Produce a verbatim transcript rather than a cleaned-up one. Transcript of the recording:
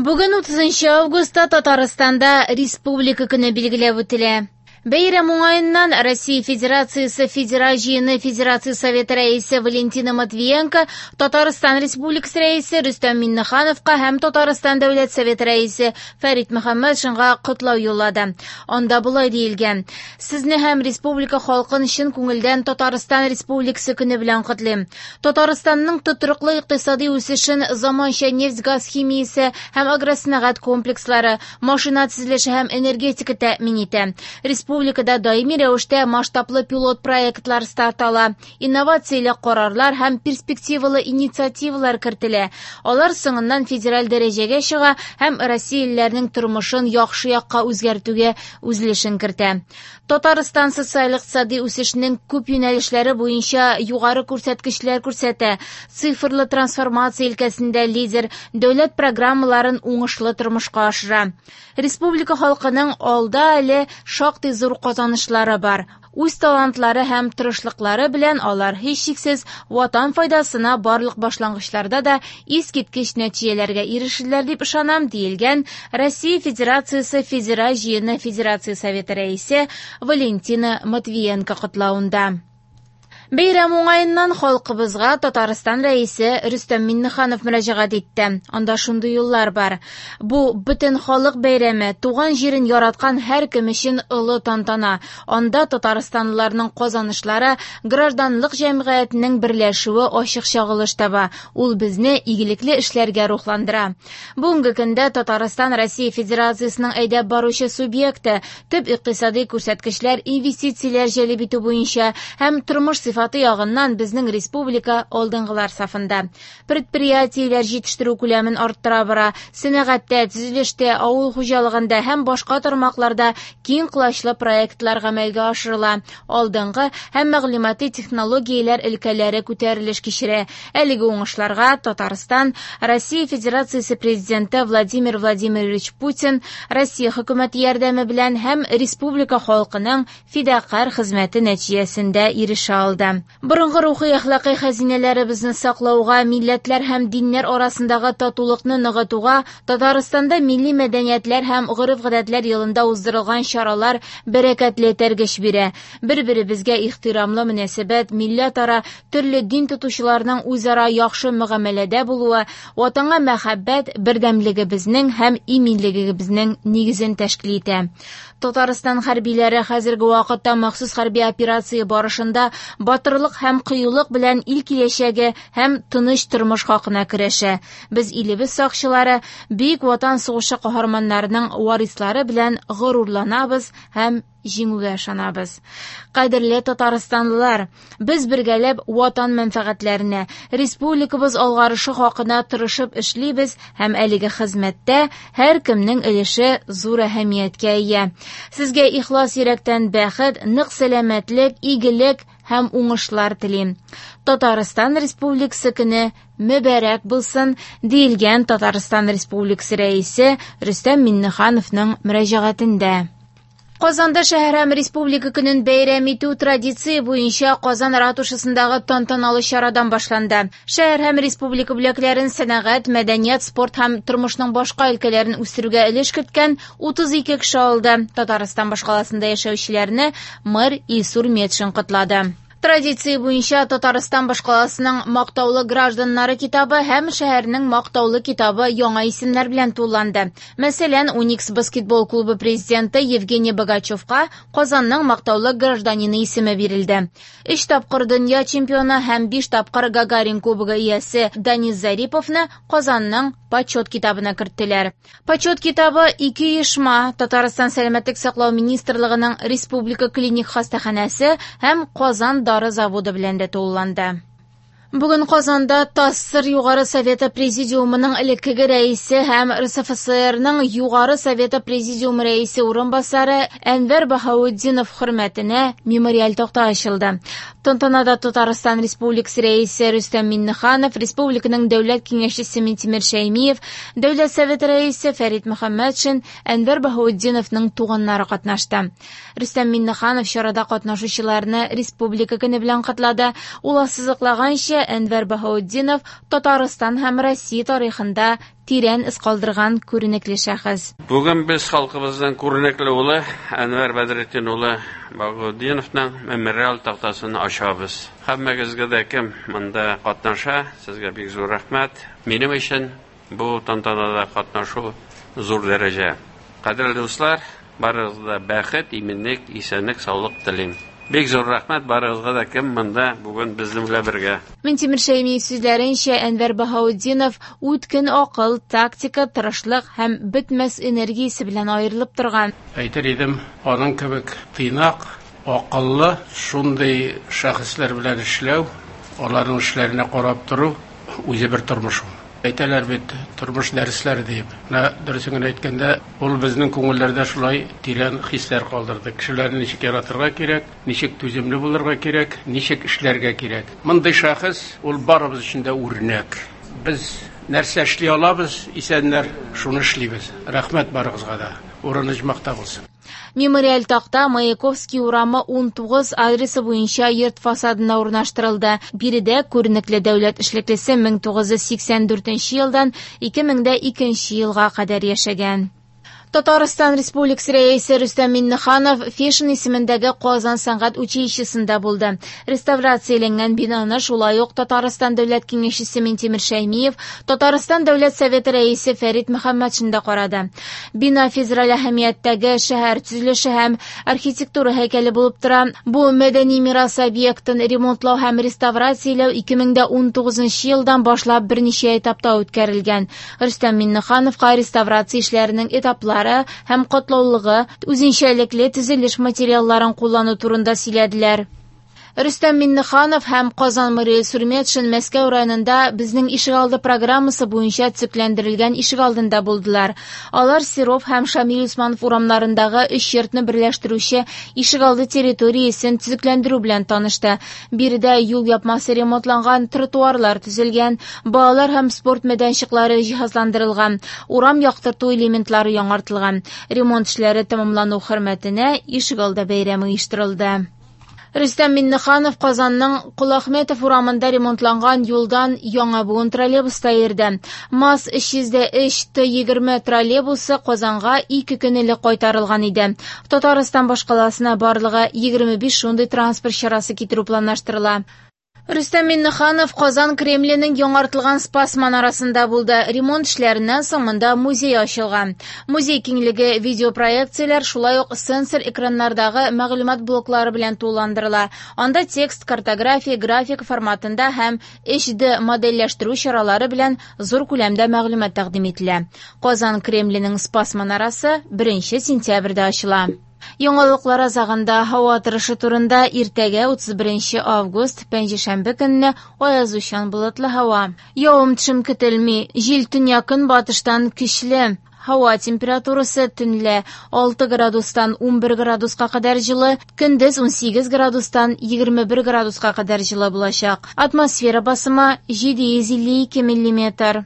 Бүген утызынчы августта Татарстанда Республика көне билгеләп үтелә. Бәйрәм уңаеннан Россия Федерациясе Федераль җыены Федерация Советы рәисе Валентина Матвиенко Татарстан Республикасы рәисе Рөстәм Миңнехановка һәм Татарстан Дәүләт Советы рәисе Фәрит Мөхәммәтшинга котлау юллады. Анда болай диелгән: Сезне һәм республика халкын чын күңелдән Татарстан Республикасы көне белән котлыйм. Татарстанның тотрыклы икътисади үсешен заманча нефть-газ химиясе һәм агросәнәгать комплекслары, машина төзелеше һәм энергетика тәэмин итә. Республикада даими рәвештә масштаблы пилот проектлар старт ала, инновацияле карарлар һәм перспективалы инициативалар кертелә. Алар соңыннан федераль дәрәҗәгә чыга һәм россиялеләрнең тормышын яхшы якка үзгәртүгә үз өлешен кертә. Татарстан социаль-икътисади үсешнең күп юнәлешләре буенча югары күрсәткечләр күрсәтә. Цифрлы трансформация өлкәсендә лидер, дәүләт программаларын уңышлы тормышка ашыра. Республика халкының алда әле шактый зур казанышлары бар. Үз талантлары һәм тырышлыклары белән алар һичшиксез ватан файдасына барлык башлангычларда да искиткеч нәтиҗәләргә ирешерләр дип ышанам, диелгән Россия Федерациясе Федераль җыены Федерация Советы рәисе Валентина Матвиенко котлавында. Бәйрәм уңаеннан халкыбызга Татарстан рәисе Рөстәм Миңнеханов мөрәҗәгать итте. Анда шундый юллар бар. Бу бөтен халык бәйрәме, туган җирен яраткан һәркем өчен олы тантана. Анда татарстанлыларның казанышлары, гражданлык җәмгыятенең берләшүе ачык чагылыш таба. Ул безне игелекле эшләргә рухландыра. Бүгенге көндә Татарстан Россия Федерациясенең әйдәп баручы субъекты, төп икътисади күрсәткечләр, инвестицияләр җәлеп итү буенча һәм тормыш сыйфаты ягыннан безнең республика алдынгылар сафында. Предприятиеләр җитештерү күләмен арттыра бара, сәнәгатьтә, төзелештә, авыл хуҗалыгында һәм башка тармакларда киң колачлы проектлар гамәлгә ашырыла. Алдынгы һәм мәгълүмати технологияләр өлкәләре күтәрелеш кичерә. Әлеге уңышларга Татарстан Россия Федерациясе Президенты Владимир Владимирович Путин, Россия хөкүмәте ярдәме белән һәм республика халкының фидакарь хезмәте нәтиҗәсендә ирешә алды. Борынгы рухи әхлакый хәзинәләребезне саклауга, милләтләр һәм диннәр арасындагы татулыкны ныгытуга Татарстанда милли мәдәниятләр һәм гореф-гадәтләр елында уздырылган чаралар бәрәкәтле этәргеч бирә. Бер-беребезгә ихтирамлы мөнәсәбәт, милләтара, төрле дин тотучыларның үзара яхшы мөгамәләдә булуы, ватанга мәхәббәт бердәмлегебезнең һәм иминлегебезнең нигезен тәшкил итә. Татарстан хәрбиләре хәзерге вакытта махсус хәрби операция барышында батырлык һәм кыюлык белән ил киләчәге һәм тыныч тормыш хакына көрәшә. Без илебез сакчылары, Бөек Ватан сугышы каһарманнарының варислары белән горурланабыз һәм җиңүгә ышанабыз. Кадерле татарстанлылар, без бергәләп ватан мәнфәгатьләренә, республикабыз алгарышы хакына тырышып эшлибез һәм әлеге хезмәттә һәркемнең өлеше зур әһәмияткә ия. Сезгә ихлас йөрәктән бәхет, нык сәламәтлек, игелек һәм уңышлар телим. Татарстан Республикасы көне мөбарәк булсын, диелгән Татарстан Республикасы рәисе Рөстәм Миңнехановның мөрәҗәгатендә. Казанда шәһәр һәм республика көнен бәйрәм итү традиция буенча Казан ратушасындагы тантаналы чарадан башланды. Шәһәр һәм республика бүләкләрен сәнәгать, мәдәният, спорт һәм тормышның башка өлкәләрен үстерүгә өлеш керткән утыз ике кеше алды. Татарстан башкаласында яшәүчеләрне мэр Илсур Метшин котлады. Традиция буенча Татарстан башкаласының мактаулы гражданнары китабы һәм шәһәрнең мактаулы китабы яңа исемнәр белән тулланды. Мәсәлән, Уникс баскетбол клубы президенты Евгений Богачевка Казанның мактаулы гражданины исеме бирелде. Өч тапкыр дөнья чемпионы һәм биш тапкыр Гагарин кубогы иясе Данис Зариповны Казанның почет китабына керттеләр. Почет китабы ике оешма Татарстан Сәламәтлек саклау министрлыгының Республика клиник хастаханәсе һәм Казан дары заводы белән дә тулыланды. Бүген Казанда ТАССР Югары Советы Президиумының элеккеге рәисе һәм РСФСРның Югары Советы Президиумы рәисе урынбасары Әнвәр Баһаутдинов хөрмәтенә мемориаль такта ачылды. Тантанада Татарстан Республикасы рәисе Рөстәм Миңнеханов, Республиканың Дәүләт киңәшчесе Минтимер Шәймиев, Дәүләт Советы рәисе Фәрит Мөхәммәтшин, Әнвәр Баһаутдиновның туганнары катнашты. Рөстәм Миңнеханов чарада катнашучыларны Республика көне белән котлады. Ул ассызыклаганча, сүзләренчә, Әнвәр Баһаутдинов Татарстан һәм Россия тарихында тирән эз калдырган күренекле шәхес. Бүген без халкыбызның күренекле улы Әнвәр Бәдретдин улы Баһаутдиновның мемориал тактасын ачабыз. Һәммәгезгә дә, кем монда катнаша, сезгә бик зур рәхмәт. Минем өчен бу тантанада катнашу зур дәрәҗә. Кадерле дуслар, барыгызга да бәхет, иминлек, исәнлек, саулык телим. Бик зур рәхмәт барыгызга да, кем монда бүген безнең белән бергә. Минтимер Шәймиев сүзләренчә, Әнвәр Баһаутдинов үткен акыл, тактика, тырышлык һәм бетмәс энергиясе белән аерылып торган. Әйтер идем, аның кебек тыйнак, акыллы, шундый шәхесләр белән эшләү, аларның эшләренә карап тору үзе бер тормыш ул. Әйтәләр бит, тормыш дәресләре дип. Менә дөресен генә әйткәндә, ул безнең күңелләрдә шулай тирән хисләр калдырды. Кешеләрне ничек яратырга кирәк, ничек түземле булырга кирәк, ничек эшләргә кирәк. Мондый шәхес ул барыбыз өчен дә үрнәк. Без нәрсә эшли алабыз, исәннәр, шуны эшлибез. Рәхмәт барыгызга да. Урыны оҗмахта булсын. Мемориаль такта Маяковский урамы ун тугыз адресы буенча йорт фасадына урнаштырылды. Биредә күренекле дәүләт эшлеклесе мең тугыз йөз сиксән дүртенче елдан ике мең икенче елга кадәр яшәгән. Татарстан Республикасы Рәисе Рөстәм Миңнеханов Фешин исемендәге Казан сәнгать училищесында булды. Реставрацияләнгән бинаны шулай ук Татарстан Дәүләт Киңәшчесе Минтимер Шәймиев, Татарстан Дәүләт Советы Рәисе Фәрит Мөхәммәтшин дә карады. Бина федераль әһәмияттәге шәһәр төзелеше һәм архитектура һәйкәле булып тора. Бу мәдәни мирас объектын ремонтлау һәм реставрацияләү ике мең унтугызынчы елдан башлап берничә этапта үткәрелгән. Рөстәм Миңнехановка реставрация эшләренең этаплары һәм катлаулылыгы, үзенчәлекле төзелеш материалларын куллану турында сөйләделәр. Рөстәм Миңнеханов һәм Казан мэры Илсур Метшин Мәскәү районында «Безнең ишегалды» программасы буенча төзекләндерелгән ишегалдында булдылар. Алар Серов һәм Шамил Усманов урамнарындагы өч йортны берләштерүче ишегалды территориясен төзекләндерү белән танышты. Биредә юл япмасы ремонтланган, тротуарлар төзелгән, балалар һәм спорт мәйданчыклары җиһазландырылган, урам яктырту элементлары яңартылган. Ремонт эшләре тәмамлану хөрмәтенә ишегалды бәйрәме оештырылды. Рөстәм Миңнеханов Казанның Коләхметов урамында ремонтланган юлдан яңа буын троллейбуста йөрде. МАЗ өч йөз өч Т егерме троллейбусы Казанга ике көн элек кайтарылган иде. Татарстан башкаласына барлыгы егерме биш шундый транспорт чарасы китерү планлаштырыла. Рөстәм Миңнеханов Казан Кремленең яңартылган Спас манарасында булды. Ремонт эшләреннән соң монда музей ачылган. Музей киңлеге видеопроекцияләр, шулай ук сенсор экраннардагы мәгълүмат блоклары белән тулыландырыла. Анда текст, картография, графика форматында һәм өч D модельләштерү чаралары белән зур күләмдә мәгълүмат тәкъдим ителә. Казан Кремленең Спас манарасы беренче сентябрьдә ачыла. Яңалыклар азагында һава торышы турында: иртәгә, утыз беренче август, пәнҗешәмбе көнне аязучан болытлы һава. Явым-төшем көтелми. Җил төньяк-көнбатыштан көчле. Һава температурасы төнлә алты градустан унбер градуска кадәр җылы, көндез унсигез градустан егерме бер градуска кадәр җылы булачак. Атмосфера басымы җиде йөз илле ике миллиметр.